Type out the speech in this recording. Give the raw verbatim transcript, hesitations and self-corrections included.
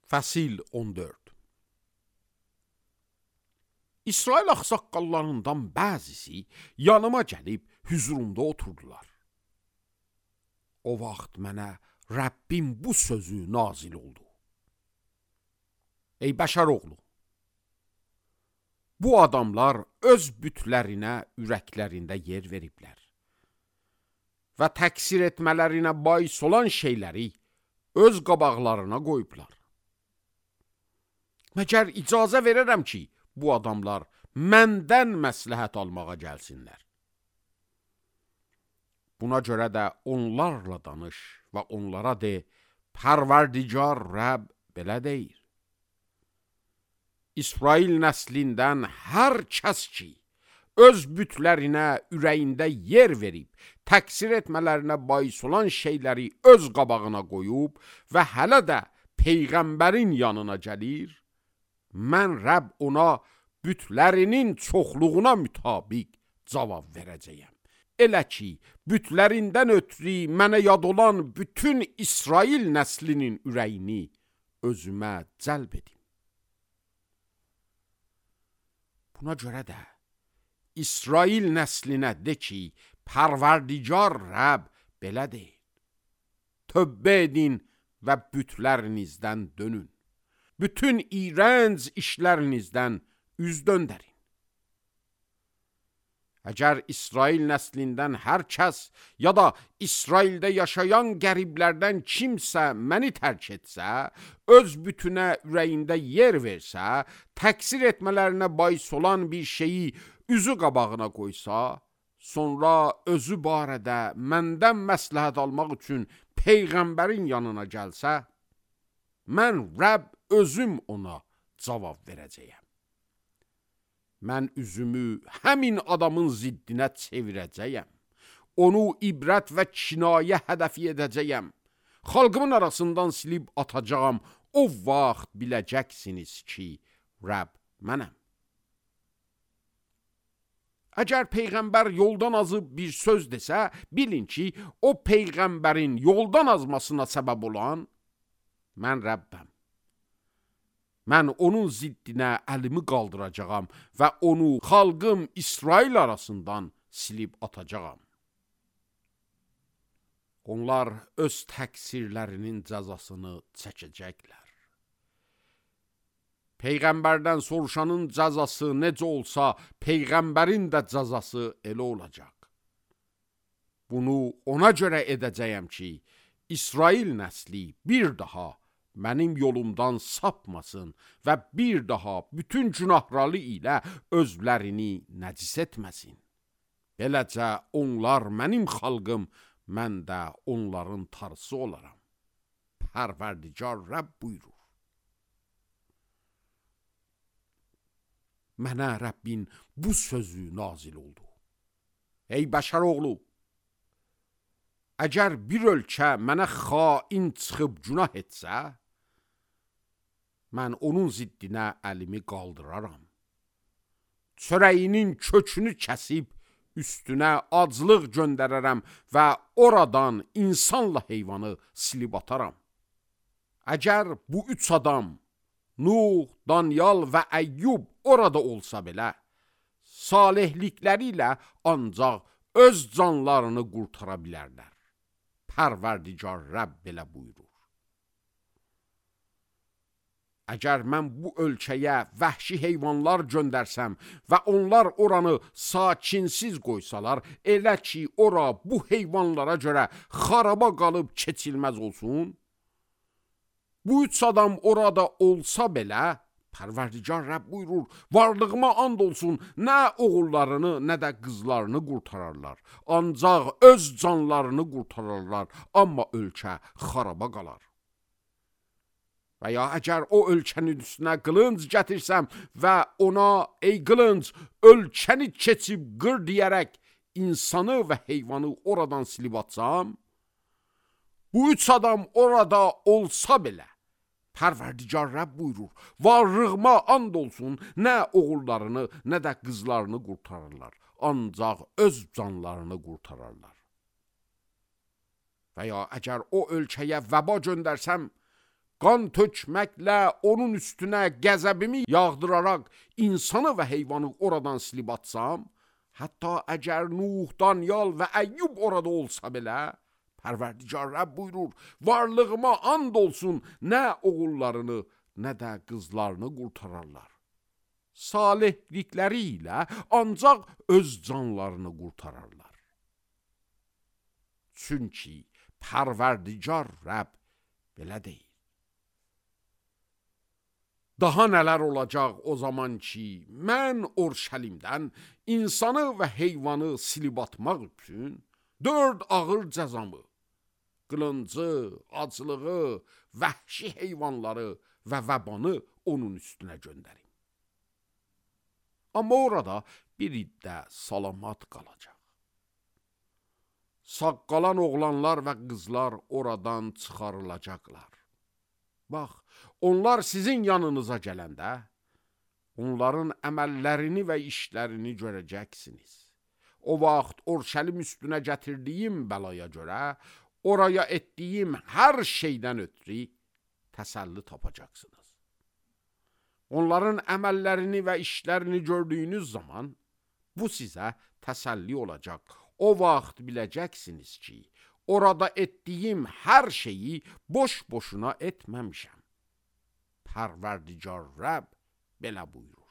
Fəsil on dörd. İsrail ağsaqqallarından bəzisi yanıma gəlib hüzurumda oturdular. O vaxt mənə Rəbbim bu sözü nazil oldu. Ey bəşər oğlu, bu adamlar öz bütlərinə ürəklərində yer veriblər və təksir etmələrinə bais olan şeyləri öz qabaqlarına qoyublar. Məgər icazə verərəm ki, bu adamlar məndən məsləhət almağa gəlsinlər. Buna görə də onlarla danış və onlara de, Pərverdigar Rəbb belə deyir. İsrail nəslindən hər kəs ki, öz bütlərinə ürəyində yer verib, təksir etmələrinə bais olan şeyləri öz qabağına qoyub və hələ də Peyğəmbərin yanına gəlir, mən Rəbb ona bütlərinin çoxluğuna mütabiq cavab verəcəyəm. Elə ki, bütlərindən ötürü mənə yad olan bütün İsrail nəslinin ürəyini özümə cəlb edim. Buna görə də İsrail nəslinə de ki, Pərverdigar Rəbb belə deyir. Tövbə edin və bütlərinizdən dönün. Bütün iğrənc işlərinizdən üz döndərin. Əgər İsrail nəslindən hər kəs ya da İsraildə yaşayan qəriblərdən kimsə məni tərk etsə, öz bütünə ürəyində yer versə, təksir etmələrinə bais olan bir şeyi üzü qabağına qoysa, sonra özü barədə məndən məsləhət almaq üçün Peyğəmbərin yanına gəlsə, mən Rəbb özüm ona cavab verəcəyəm. Mən üzümü həmin adamın ziddinə çevirəcəyəm. Onu ibrət və kinayə hədəfi edəcəyəm. Xalqımın arasından silib atacağım. O vaxt biləcəksiniz ki, Rəbb mənəm. Əgər Peyğəmbər yoldan azıb bir söz desə, bilin ki, o Peyğəmbərin yoldan azmasına səbəb olan mən Rəbbəm. Mən onun ziddinə əlimi qaldıracağam və onu xalqım İsrail arasından silib atacağam. Onlar öz təqsirlərinin cəzasını çəkəcəklər. Peyğəmbərdən soruşanın cəzası necə olsa, Peyğəmbərin də cəzası elə olacaq. Bunu ona görə edəcəyəm ki, İsrail nəsli bir daha mənim yolumdan sapmasın və bir daha bütün günahları ilə özlərini nəcis etməsin. Beləcə onlar mənim xalqım, mən də onların tarısı olaram. Pərverdigar Rəbb buyurur. Mənə Rəbbin bu sözü nazil oldu. Ey bəşər oğlu, əgər bir ölkə mənə xain çıxıb günah etsə, mən onun ziddinə əlimi qaldıraram. Çörəyinin kökünü kəsib, üstünə aclıq göndərərəm və oradan insanla heyvanı silib ataram. Əgər bu üç adam, Nuh, Danyal və Əyyub orada olsa belə, salihlikləri ilə ancaq öz canlarını qurtara bilərlər. Pərverdigar Rəbb belə buyurur. Əgər mən bu ölkəyə vəhşi heyvanlar göndərsəm və onlar oranı sakinsiz qoysalar, elə ki, ora bu heyvanlara görə xaraba qalıb keçilməz olsun, bu üç adam orada olsa belə, Pərverdigar Rəbb buyurur, varlığıma and olsun, nə oğullarını, nə də qızlarını qurtararlar. Ancaq öz canlarını qurtararlar, amma ölkə xaraba qalar. Və ya əgər o ölkənin üstünə qılınc gətirsəm və ona, ey qılınc, ölkəni keçib qır deyərək insanı və heyvanı oradan silib atsam, bu üç adam orada olsa belə, Pərverdigar Rəbb buyurur, varlığıma and olsun, nə oğullarını, nə də qızlarını qurtarırlar, ancaq öz canlarını qurtararlar. Və ya əgər o ölkəyə vəba göndərsəm, qan tökməklə onun üstünə qəzəbimi yağdıraraq insanı və heyvanı oradan silib atsam, hətta əgər Nuh, Danyal və Əyyub orada olsa belə, Pərverdigar Rəbb buyurur, varlığıma and olsun, nə oğullarını, nə də qızlarını qurtararlar. Salihlikləri ilə ancaq öz canlarını qurtararlar. Çünki Pərverdigar Rəbb belə deyil. Daha nələr olacaq o zaman ki, mən Orşəlimdən insanı və heyvanı silib atmaq üçün dörd ağır cəzamı, qılıncı, acılığı, vəhşi heyvanları və vəbanı onun üstünə göndərim. Amma orada bir iddə salamat qalacaq. Sağ qalan oğlanlar və qızlar oradan çıxarılacaqlar. Bax, onlar sizin yanınıza gələndə, onların əməllərini və işlərini görəcəksiniz. O vaxt Orşəlim üstünə gətirdiyim bəlaya görə, oraya etdiyim hər şeydən ötürü təsəlli tapacaqsınız. Onların əməllərini və işlərini gördüyünüz zaman, bu sizə təsəlli olacaq. O vaxt biləcəksiniz ki, orada etdiyim hər şeyi boş-boşuna etməmişəm. Pərverdigar Rəbb belə buyurur.